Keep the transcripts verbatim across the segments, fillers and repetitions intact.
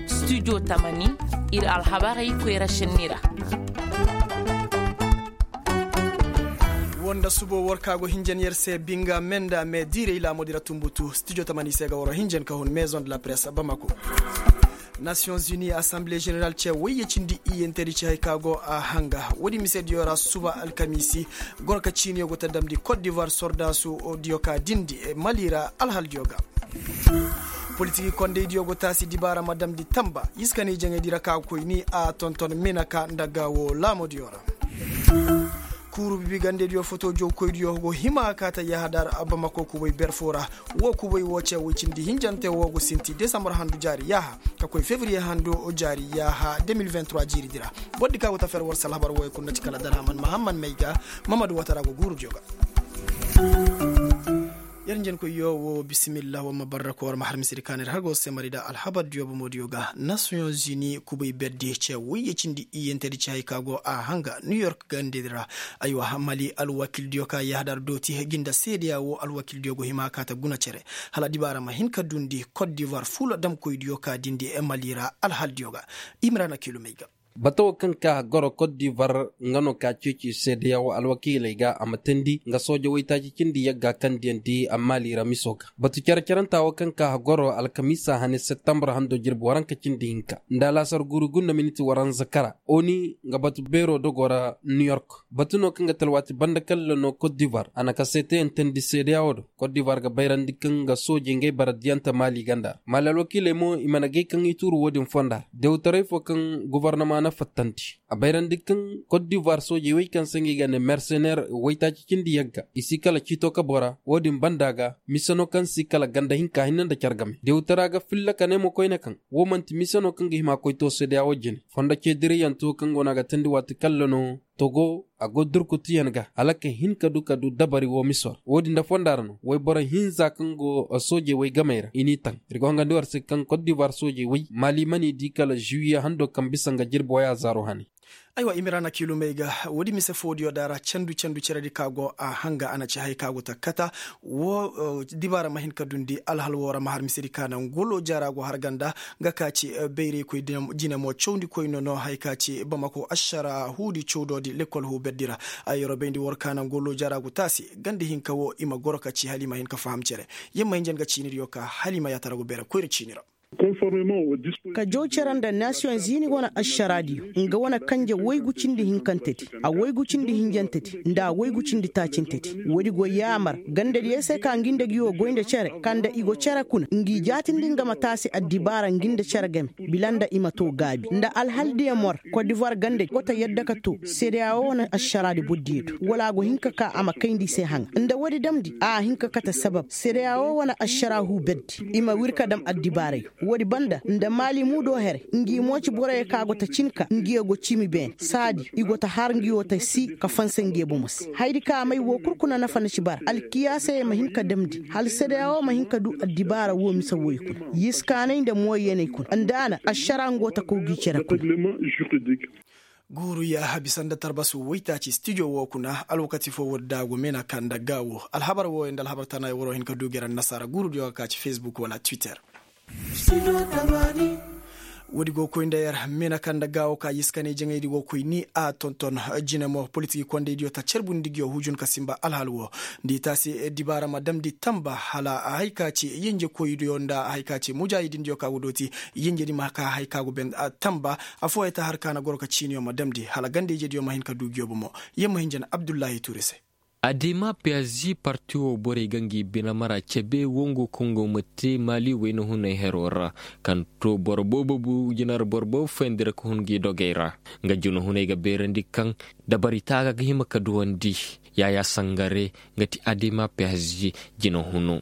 Studio tamani, ir alhabarey koyra šenni ra. Woo nda subo war ka go hinjan yer se binga menda me diirey laamudi ra tumbutu studio tamani se ga waro hinjan ka hun maison de la presse bamako. Nations unis assemblée générale ce wayye cindi iyyantedi ci hay ka go a hanga woodi misediyo ra suba alkamiisi. Goro ka ciiniyo go ta damndi kot divoir sordaasu diyo ka dindi mali ra alhaldiyo ga. Politiki kondaydiyo go taasi dibaara ma damndi tamba iskanay jaŋaydi ra ka go koy ni a tonton minaka nda gaawo laamodiyo ra. Kuuru bibigandediyo foto jawkoydiyo go hima ka ta yahadar bamako kubay ber fo ra. Woo kubay woo ce woy cindi hinjante woo go sinti desambar handu jaari yaaha ka koy febriye handu jaari yaaha de mil vingt trois jiiridi ra. Bordi ka go ta fer war se alhabar wooyo kul nda ci kala darhaman mahamman may ga. Mamadu watara go guurudiyo ga. Yer njenkoyyo woo bisimillah war ma barra ko war ma har misedi kaanay ra har go se mari nda alhabardiyo bomodiyo ga nasiyoŋ zini kubay berdi ce woyye cindi iyyantedi ci hay ka go a hanga new york gandedi ra. Aywa mali alwakildiyo ka yahadar dooti gi nda seedeya woo alwakildiyo go hima ka ta guna cere hala dibaara ma hin ka duundi kot divoir fuula damkoydiyo ka dindi mali ra alhaldiyo ga. Imrana kilomey ga. Bata woo kaŋ ka goro kot divoir nga no ka ceeci seedeya woo alwakiiley ga a ma teendi nga sooja waytaaci cindi yagga kaŋ diyandi a mali ra miso ga. Batu cere-cerenta woo kaŋ ka goro alkamiisa hane septembar hando jirbi waranka cindi hinka nda alaasar guuru gunda miniti waranza kara. Oni nga batu beeroo dogoo ra new york. Batu no kaŋ ga talwaati banda kalla no kot divoir a na kaseeteyaŋ teendi seedeya woo do. Kot divoir ga bayrandi kaŋ nga soojey ngey bara diyante mali ganda ra mali alwakiiley mo i mana gay kaŋ i tuuru woo din fonda ra dewtaray foo kaŋ gobornama na fattandi. A bayrandi kaŋ kot divoir soojey wey kaŋ se ngi ga ne mersener waytaaci cindi yagga i si kala ciito ka bora woo din banda ga mise no kaŋ si kala ganda hinka hinne nda care game dewtara ga filla ka ne mo koyne kaŋ woo man'ti mise no kaŋ ga hima koy too seedeya woo jine fondo ceediriyanto kaŋ go no a ga teendi waati kalla no. Togo a go durkutiyaŋ ga hala ka hin ka du ka du dabari woo miso ra woo din nda fonda ra no wayboro hinza kaŋ go soojey wey gamey ra i n'i taŋ ir go hangandi war se kaŋ kot divoir soojey wey mali man'i di kala zuwiye hando kaŋ bisa nga jirbi waya zaaro hane. Aywa imira na kilomey ga woodi mise foodiyo da ra candu candu ceredi ka go a hanga a na ci hay ka go ta kata. Woo dibaara ma hin ka duundi alhal woo ra ma har misedi ka naŋ golooja ra go har ganda. Nga ka ci bayraykoy jine mo cawndi koyno no haya ka ci bamako ašara huudi cawdoodi lekkol huuberdi ra. Ay yorobayndi war ka naŋ golooja ra go taasi ganda hinka woo i ma goro ka ci hala i ma hin ka faham cere. Yer ma hinja nga ciinidiyo ka hala i ma yaatara go beere koyra ciini ra. Ka jaw cere nda nasiyoŋ ziini wane ašaraadiyo nga wane kanje waygu cindi hinkantedi a waygu cindi hinjantedi nda a waygu cindi taacintedi. Woodi go yaamar gandadiyey se ka ngi nda ngi wo goy nda cere ka nda i go cere kuna ngi jaatindi nga ma taasi addibaara ngi nda cere game bila nda i ma too gaabi nda alhaldiyo mor kodivuwar gandadi go ta yadda ka too sedeyawo wane ašaraadi bordiyo do wala a go hin ka ka a ma kayndi i se haŋa nda woodi damndi a hin ka kate sabab sedeyawo wane ašara huu berdi i ma wir ka dam addibaarayo. Woodi banda nda maali muudo here ngi mo ci boroyo ka go ta cin ka ngiyo go ciimi beene saadi i go ta har ngiyo ta sii ka fansa ngiyo bomo se hayadi ka may woo kul kuna nafa na ci bara alkiyaasayey ma hin ka damndi hala sedeyawo ma hin ka duu addibaara woo mise wooyo kuna yiskaanay nda mooyyanay kuna nda a na ašara ngo ta kaw gi cere kuna. Guuru yaaha bisa nda tarbasu waytaaci stijo woo kuna alwakati foo woodi daagu meena ka nda gaawo alhabar wooyo nda alhabar tanayo waroo hin ka duu gera nnasaara guurudiyo ga ka ci fesbuk wala twitter. Woodi go koy nda yer meena ka nda gaawo ka yiskanay jaŋaydi go koy ni a tonton jine mo politiki kondaydiyo ta carbundi ngiyo hujun ka sinba alhal woo nda i taasi dibaara ma damndi tamba hala hay ka ci yenjekoydiyo nda hay ka ci mujaahidindiyo ka go dooti yenjedi ma ka hay ka go ben tamba. Affooyey ta har ka na goro ka ciiniyo ma damndi hala ganda-ijediyo ma hin ka duu ngiyo bomo. Yer ma hinja na abdullahi tuuri se. Adema psg parti woo borey ga ngi bine mara cebe wongo kaŋ go ma te maali wayna hunay heroo ra kaŋ too boro boobo bu jina ra boro boobo fayandi ra ka hun ngi dogey ra. Nga jina hunay ga beerandi kaŋ dabari taaga ga hima ka duwandi. Yaayaa sangare nga ti adema psg jina huno.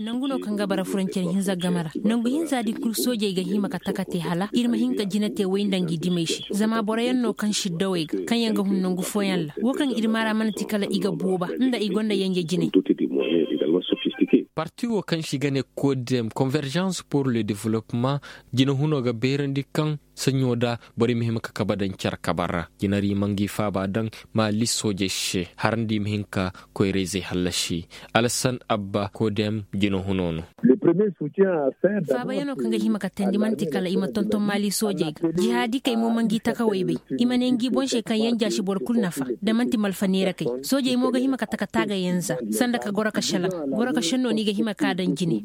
Nangu no kaŋ ga bara furancen hinza game ra nangu hinza din kul soojey ga hima ka taka te hala ir ma hin ka jina te way nda ngi dimey se zama boroyaŋ no kaŋ siddawey ga kaŋ yaŋ ga hun nangu fooyaŋ ra woo kaŋ ir maara mana ti kala i ga booba nda i gonda yanje jinay. Parti woo kaŋ se i ga ne kodem convergence pour le developpement jina huno ga beerandi kaŋ Saɲɲo da borey ma hima ka kabe daŋ care kabe ra. Jinari ma ngi faaba daŋ maali soojey se har nda i ma hin ka koyra-izey hallasi. Alasan abba kodem jina huno no. Faabayanoo kaŋ ga hima ka teendi man'ti kala i ma tonton maali soojey ga jihaadikey mo ma ngi takawey bay. I ma ne ngi boŋ se kaŋ yanja si boro kul nafa da man'ti malfa neerakey. Soojey mo ga hima ka taka taagayaŋ za sanda ka goro ka šelaŋ. Goro ka šennoo no i ga hima ka daŋ jine.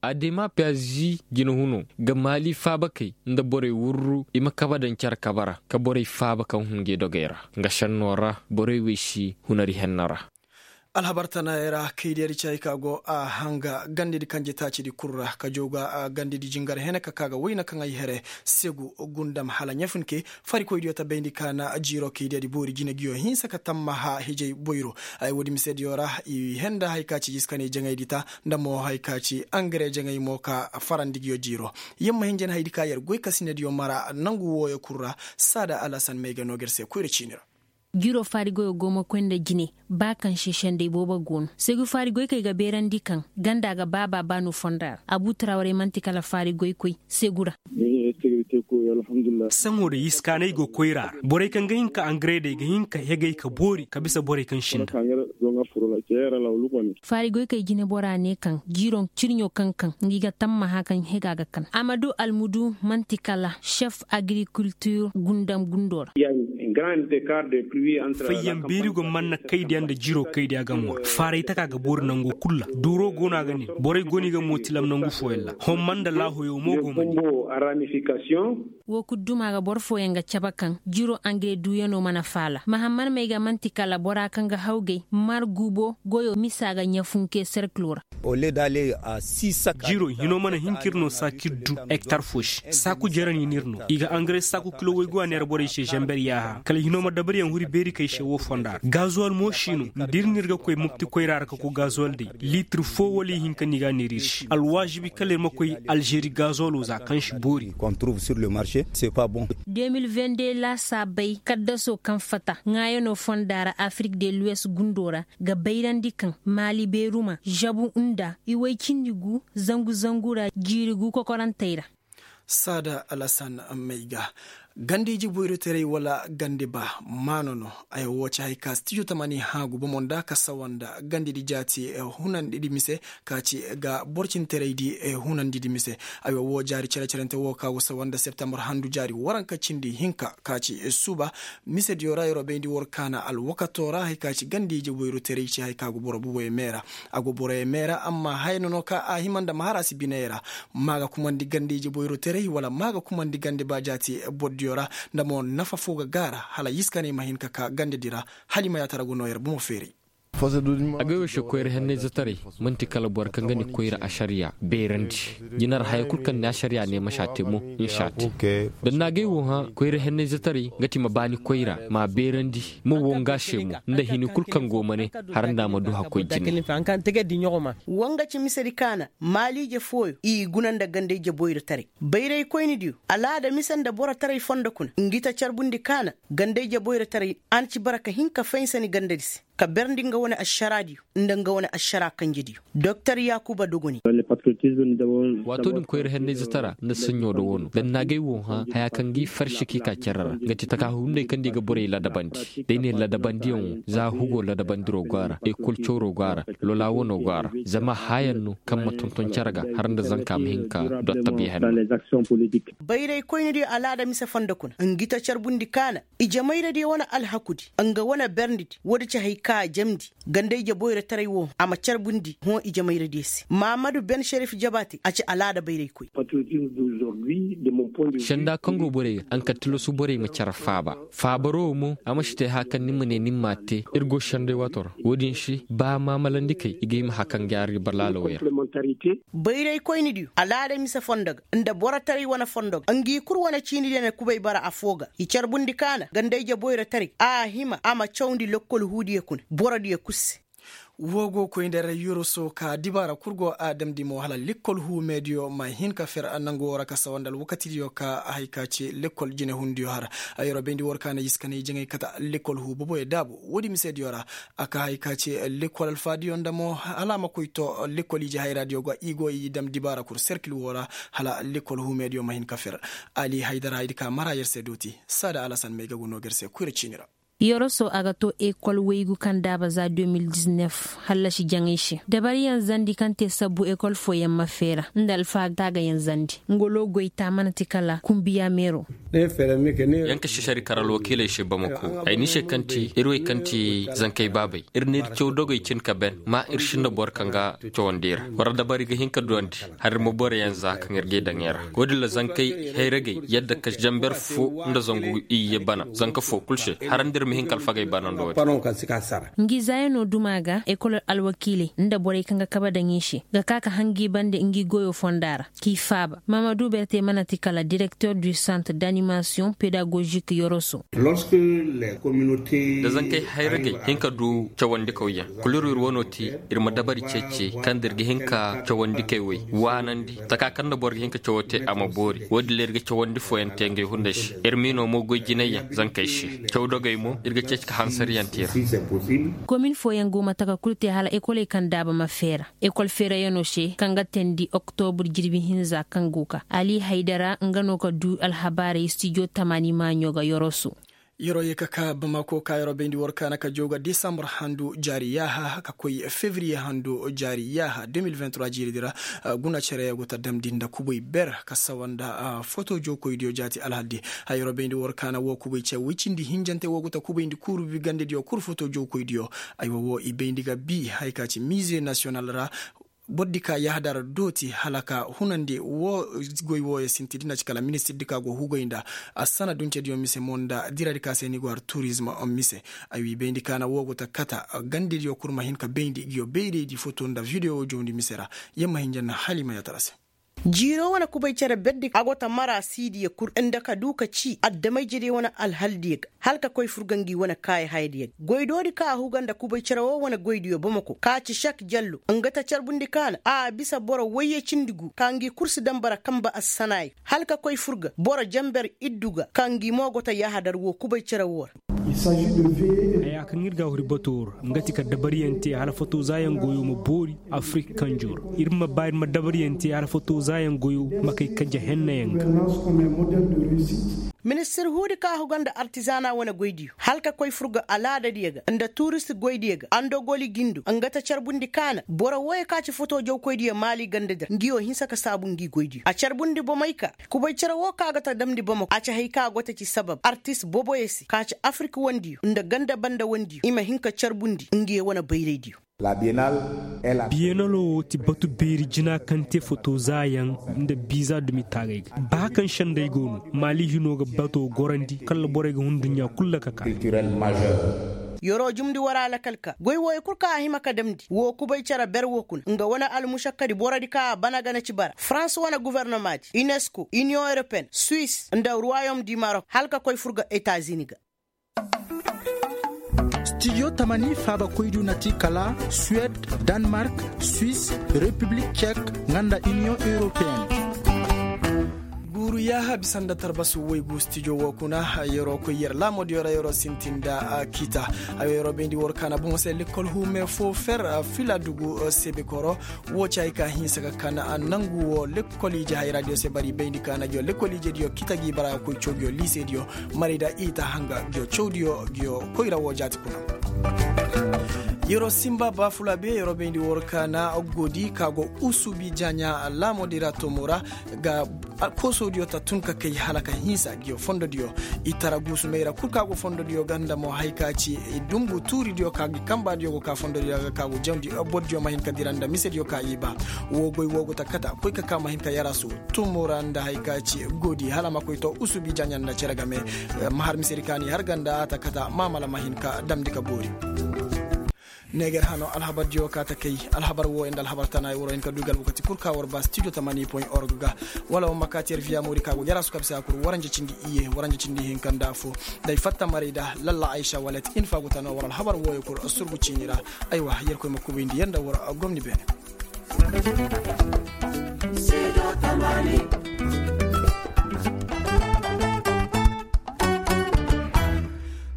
Adema piyazi jina huno ga maali faabakey nda borey wurru i ma kabe daŋ care kabe ra ka borey faaba kaŋ hun ngi dogey ra. Nga šennoo ra borey wey si hunari henna ra. Alhabar tanaayey ra kaydiyadi caay ka go a hanga gandadi kanje taacidi kul ra ka jooga gandadi jingar hene ka ka ga wayna kaŋ ay here segu gundam hala ɲafunke. Farikoydiyo ta bayndi ka na jiiro kaydiyadi boori jine nguyo hinsa ka tammaha hijay boyro. Ay woodi misediyo ra i henda hari ka ci jiskanay jaŋaydi ta nda mo hari ka ci angare jaŋay mo ka farandi nguyo jiiro. Yer ma hin jana haydi ka yer goy kasinediyo mara nangu wooyo kul ra. Saada alasan may ga no ga yer se koyra ciini ra. Jiro faari goyo go ma koy nda jine. Ba kaŋ se sendey boobo go no segu faari goy kaŋ i ga beerandi kaŋ ganda ga baaba ba no fonda ra abu trawrey man'ti kala faari goy koy segu ra. Saŋo day iskaanay go koyra ra borey kaŋ ga hin ka angareedey ga hin ka hegay ka boori ka bisa borey kaŋ sinda. Faari goy kay jinebora ne kaŋ jiiroŋ cirɲo kaŋ kaŋ ngi ga tammaha kaŋ hega ga kan amadu almudu man'ti kala chef agriculture gundam gundo ra. Fayyaŋ beeri go manna kaydiya nda jiiro kaydiya ga moora faaray taka ga boori nango kul ra duuro go no a ga nin borey go no i ga mootilam nangu fooyaŋ ra homma nda laahoyo mo go ma nin. Woo kul duma ga boro fooyaŋ ga cabe kaŋ jiro angare duuyano mana faala mahammad may ga man'ti kala bora kaŋ ga hawgay mar guubo goyo misa ga ɲafunke serkilo ra. Jiro hino mana hin ka ir no saakir du hektar fo se saaku jerani no ir no i ga angare saaku kilo woy go a neera borey se zamber yaaha kala hino ma dabaryaŋ huri beeri kay se woo fonda ra gazuwal mo si no nda ir no ir ga koy mopti koyra ra ka koy gazuwal day liitir fo wala ihinka no i ga a neera ir se alwaazibi kala ir ma koy alžeri gazuwalo za kaŋ si boori. Deux mille vingt-deux laasaabey kaddaso kaŋ fata ŋaayano fonda ra afirik de luwes gundo ra ga bayrandi kaŋ maali beeruma zabu nda i woy cindi gu zangu zangu ra jiiri gu kokorantey ra. Saada alasan may ga ganda ije boyrotaray wala ganda ba maano no. Ay wo ci hay ka stijo tamani haagu bomo nda ka sawa nda gandadi jaati hunandidi mise ka ci ga borcintaraydi hunandidi mise. Ay wo jaari cere-cerente wo ka go sawa nda septembar handu jaari waranka cindi hinka ka ci suuba. Misediyo ra yeroo bayndi war kaana alwakato ra hay ka ci ganda ije boyrotaray ci hay ka go boro buboyo meera. A go boroyo meera amma haya no no ka a hima nda ma har a si biney ra. Ma ga kumandi ganda ije boyrotaray wala ma ga kumandi ganda ba jaati bordiyo ra nda mo nafa fo ga gaara hala yiskaney ma hin ka ka gandadi ra. Hala i ma yaatara go no yer bomo feeray. Agay wo se koyra hennayzetaray man'ti kala boro kaŋ ga ni koyra ašariya beerandi. Jinar haya kul kaŋ ni ašariya ne ma si a te mo ni si a te. Da ni na agay wo hã koyra hennayzetaray nga ti ma ba ni koyra ma a beerandi. Ma wo nga se mo nda hini kul kaŋ go ma ne har nda a ma du hakkoy jine. Woo nga ci misedi kaana maaliije fooyo i guna nda ganda ije boyrotaray bayraykoynidiyo alaada mise nda borotaray fondo kuna ngi ta carbundi kaana ganda ije boyrotaray. A na ci bara ka hin ka faynsa ni gandadi se ka berndi nga wane ašaraadiyo nda nga wane ašaraa kanjediyo. Doktor yaakuba dogoni. Waato din koyra hennayzetaraa nda saɲɲo da woo no da ni na agay woo hã hayaa kaŋ ga i farsi ka i ka cere ra nga ti takaahu hunday kaŋ nda i ga borey ladabandi da i ne ladabandiyaŋ woo za hugo ladabandiro go a ra ekol cawro go a ra. Lolaa wanoo go a ra zama haayaŋ no kaŋ ma tonton cere ga har nda zanka ma hin ka dottabiya henno. Bayraykoynidiyo alaada mise fondo kuna ngi ta carbundi kaana ijemayradiyo wane alhakudi nga wane berndidi woodi ci hay ka a jamndi ganda ije boyrotaray woo a ma carbundi hõ ijemayradiyo se mahammadu ben šerif jabaate a ci alaada bayraykoy. Senda kaŋ go borey ga a na ka tilasu borey ma care faaba. Faabaro wo mo a ma si te haya kaŋ ni ma ne ni m'a te ir go senday waato ra. Wo-din se ba maamalandi kay i ga hima haya kaŋ ga yaari balaalawey ra. Bayraykoynidiyo alaada mise fondo ga nda borotaray wane fondo ga ngi kul wane ciinidiyo na kubay bara afoo ga i carbundi kaana ganda ije boyrotaray a hima a ma cawndi lokkol huudiyo kuna borodiyo kul se. Woo go koy nda yer yoroso ka dibaara kul go a damndi mo hala lekkol huumeediyo ma hin ka fer nangu woo ra ka sawa nda alwakatidiyo ka hay ka ci lekkol jinehundiyo har. Yeroo bayndi war ka na i si ka na i jaŋay kate lekkol huu boboyo daabu woodi misediyo ra. A ka hay ka ci lekkol alfaadiyo nda mo hala a ma koy to lekkol ije hayraadiyo ga i go i dam dibaara kul serkil woo ra hala lekkol huumeediyo ma hin ka fer. Ali haydara ay di ka mara yer se dooti saada alasan may ga go noo ga yer se koyra ciini ra. Yoroso a ga to ekol waygu kaŋ daaba za deux mille dix-neuf hallasi jaŋay se dabariyaŋ zandi kaŋ te sabbu ekol fooyaŋ ma feera nda alfaha taagayaŋ zandi ngolo goyta mana ti kala kumbiya meero. Yaŋ ka si sari kar alwakiiley se bamako ay ni se kaŋ ti ir wey kaŋ ti zankey baabey ir n'ir caw dogey cin ka ben ma ir sinda boro kaŋ ga cawandi ra war dabari ga hin ka duwandi. Har ir ma boroyaŋ za kaŋ ir g'i daŋ i ra wo-din ra zankey hayragey yadda ka zamber fo nda zangu iyye bana zanka fo kul se har nda ir ma hin ka alfagey bana nda wo-din. Ngi zaayanoo duma ga ekol alwakiiley nda borey kaŋ ga kabe daŋ i se ga ka ka hangi bande ngi goyoo fonda ra k'i faaba maamadu berte mana ti kala direkter du centre d'animasiyoŋ pedagozik yoroso. Da zankey hayragey hin ka du cawandikawyaŋ kul ir wo ir wanoo ti ir ma dabari ceeci kaŋ da ir ga hin ka cawandikey wey waanandi taka kaŋ nda boro ga hin ka cawo te a ma boori wo-din ra ir ga cawandi fooyaŋ te ngey hunday se. Ir miinoo mo goy jinayyaŋ zankey se caw dogey mo ir ga ceeci ka hansariyaŋ te i ra. Komin fooyaŋ go ma taka kul te hala ekoley kaŋ daaba ma feera ekol feerayanoo se kaŋ ga teendi oktobur jirbi hinza kaŋ go ka ali haydara nga no ka du alhabaarey stijo tamaani maaɲo ga yoroso. Yeroo ye ka ka bamako ka yeroo bayndi war kaana ka jooga desambur handu jaari yaaha ka koy fevriye handu jaari yaaha deux mille vingt-trois jiiridi ra. Guna cere go ta damndi nda kubay ber ka sawa nda foto jookoydiyo jaati alhaldi. Hay yeroo bayndi war kaana woo kubay ce woy cindi hinjante woo go ta kubayndi kuuru bi gandediyo kul foto jookoydiyo. Aywa woo i bayndi ga bi hay ka ci mize nasiyonal ra. Bordi ka yahadar dooti hala ka hunandi woo goy wooyo sinti di na ci kala ministirdi ka go hugay nda assana duncediyo mise mo nda diradi ka se ni go har turizm mise. Ay wi bayndi ka na woo go ta kata gandediyo kul ma hin ka bayndi ngiyo bayraydi foto nda videwo jawndi mise ra. Yamma hinja na halima yatara se. Jiiroo wane kubay cere berdi a go ta mara siidiyo kul nda ka du ka ci addamayjediyo wane alhaldiyo ga hala ka koy fur ga ngi wane kaayi hayadiyo ga goydoodi kaŋ a huga nda kubay cere woo wane goydiyo bamako ka ci sek jallo nga ta carbundi kaana a bisa boro woyye cindi gu ka ngi kul si dambara kanba assanaayey hala ka koy fur ga boro janber iddu ga ka ngi mo go ta yahadar woo kubay cere woo ra. Haya kaŋ ir ga a huri bato ra nga ti ka dabariyaŋ te hala foto zaayaŋ goyo ma boori afirik kanjo ra ir ma ba ir ma dabariyaŋ te hala foto zaayaŋ goyo ma kay kanje hennayaŋ ga. Ministir huudi ka huga nda artizana wane goydiyo hala ka koy fur ga alaadadiyo ga nda turist goydiyo ga andogoli gindo nga ta carbundi kaana boro wooyo ka ci foto jawkoydiyo maali gandadi ra ngiyo hinsa ka saabu ngi goydiyo a carbundi bomey ka kubay cere woo ka ga ta damndi bamako a ci hay ka go ta ci sabab artist boboyo se ka ci afirik wandiyo nda ganda banda wandiyo i ma hin ka carbundi ngiyo wane bayraydiyo. Biyenaloo woo ti batu beeri jina kaŋ te foto zaayaŋ nda biiza dumi taagay ga baa kaŋ sendey go no maali hinoo ga bato gorandi kala borey ga hun duɲɲa kul ra ka kaa. Yeroo jumndi war alakal ka goy wooyo kul kaŋ a hima ka damndi woo kubay cere ber woo kuna nga wane almušakkadi borodi kaŋ a bana gana ci bara farans wane guvernomaadi unesco iniyoŋ europeyen suis nda ruwayom di marok hala ka koy fur ga etazini ga. Stijo tamani faabakoydiyo na ti kala suwed, danmark, suis, repiblik cek, nga nda iniyoŋ europeyen. Guuru yaaha bisa nda tarbasu waygu stijo woo kuna. Yeroo koy yer laamoodiyo ra yeroo sintin nda kita. Hayo yeroo bayndi war kaana boŋo se lekkol huume foo fer fila dugu sebekoro. Woo ci hay ka hinsa ka kan nangu woo lekkol ije hayraadiyo se bari bayndi ka na ngiyo lekkol ijediyo kita gi bara koy cawgiyo liisediyo. Marayda i ta hanga ngiyo cawdiyo ngiyo koyra woo jaati kuna. Yeroo sinba baafula be yeroo bayndi war kaana godi ka go usubi jaaɲa laamoodi ra tomo ra. Ga koosodiyo ta tun ka kay hala ka hinsa ngiyo fondodiyo. I tara guusumey ra kul ka go fondodiyo ga nda mo hay ka ci i dungu tuuridiyo ka ngi kanbaadiyo go ka fondodiyo ga ka go jawndi bordiyo ma hin ka dira nda misediyo ka i ba. Woo goy woo go ta kata koy ka ka ma hin ka yarasu tumo ra nda hay ka ci goodi hala ma koy to usubi jaaɲa nda cere game. Ma har misedi kaani har ganda a ta kata maamala ma hin ka damndi ka boori. Neeger hano alhabar diyo ka ta kay. Alhabar wooyo nda alhabar tana woro hin ka du i ga alwakati kul ka war ba studio tamani point org ga. Wala war ma kaati yer viya moori ka go jara su kabisa kul waranja cindi iye waranja cindi hinka nda afo. Day fatta maray da lalla aysa walet in fa go tana war alhabar wooyo kul surgu ciini ra. Aywa, yerkoy ma kubayndi yer nda war gomni beene.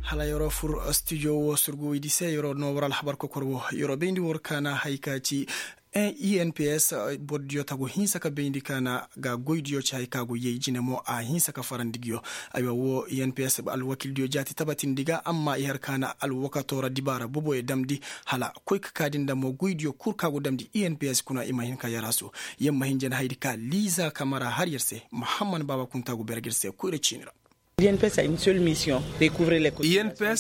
Hala yeroo fur studio woo surgu woydi se yeroo no war alhabar kokor woo yeroo bayndi war kaana hay ka ci. Inps bordiyo tagu hinsa ka bayndi kaana ga goydiyo ci hay ka go yey jine mo a hinsa ka farandi nguyo. Aywa woo inps alwakildiyo jaati tabatindi ga amma i har kaana alwakatoo ra dibaara boboyo damndi. Hala koy ka kaadi nda mo goydiyo kul ka go damndi inps kuna i ma hin ka yaraasu. Yer ma hin jana hayadi ka liiza kamara har yer se. Mahamman baaba kunta go berge yer se koyra ciini ra. Inps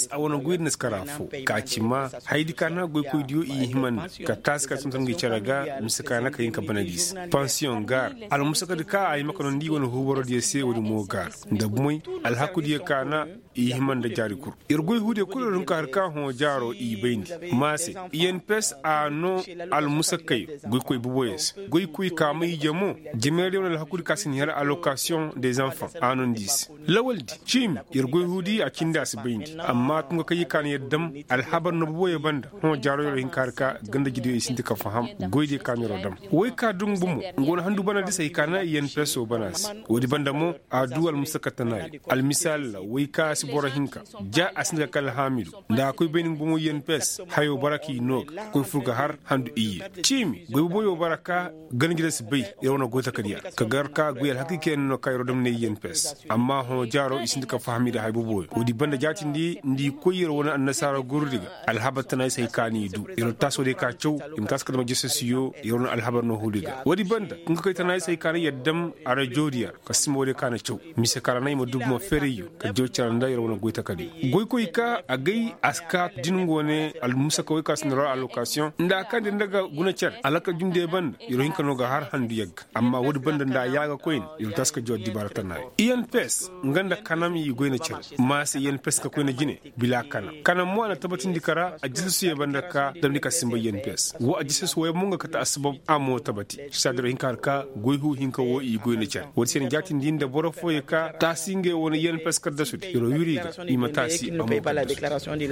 a wane goydi na si kara foo ka ci maa hayadi ka na goykoydiyo i himandi ka taasi ka tonton ngi cere ga mise ka na ka hin ka bana gi se. Pansiyoŋ gaara almusakadi ka a hima ka nondi wane huuborodiyo se woodi mo gaara nda bumey alhakudiyo ka na i hima nda jaari kul. Yer goy huudiyo kul yer hun ka har ka hõ jaaro i bayndi. Maa se inps a noo almusakkayo goykoy boboyo se. Goykoy ka ma ije mo jameeradiyo wane alhakudi ka si ni har alokasiyoŋ des enfants a nondi i se. Lawaldi ciimi yer goy huudi a cindi a si bayndi amma tunga kaŋ yer ka no yer dam alhabar no boboyo banda. Hõ jaaro yer hin ka har ka ganda jidiyo i sinti ka faham. Goydiyo ka no yer dam woy ka dungu mo nga wane handu bana di se hay ka na inps wo bana se. Woodi banda mo a du almusakka tanaayo. Almisaalla woy ka si boro hinka ja a sinda ka kala haamidu nda a koy bayni nga bomo inps hayo bara k'i noo ga koy fur ga har handu iyye. Ciimi goy boboyo bara ka ganjira si bay yer wane goy takadiya ka gar ka goy alhakikey no ka yer dam ne inps. Amma hõ jaaro i sinda ka faham i da hay boboyo woodi banda jaatindi nda i koy yer wane annasaara gorodi ga alhabar tana i se hay ka n'i du yer taasoo day ka caw i ma taasi ka dama jasasiyo yer wane alhabar no huudi ga woodi banda nga koy tana i se hay ka na yer dam arajoodiya ka sima woodiyo ka na caw. Mise ka ra na i ma dubu ma ferayyo ka jaw care nda yer wane goy takadiyo goykoy ka agay a si ka din go ne almusakawey ka si na rora alokasiyoŋ nda a kaŋ din daga guna care alaka jundiyo banda yer hin ka no ga har handu yagga. Amma woodi banda nda a yaaga koyne yer taasi ka jaw addibaara tana i n p s nga nda kanam i goy na care. Maa se i n p s ka koy na jine bila kanam kanam mo a na tabatindi ka ra a jisasuyo banda ka damndi ka sinba i n p s woo a jisasu wooyaŋ mo nga kate assabab a mo tabati. Saadi ra hin ka har ka goy huu hinka woo i goy na care woodi se na jaatindi nda boro fooyo ka taasi ngey wane i n p s kaddasudi yer woo wiri i ga i ma taasi a mo kaddasudi.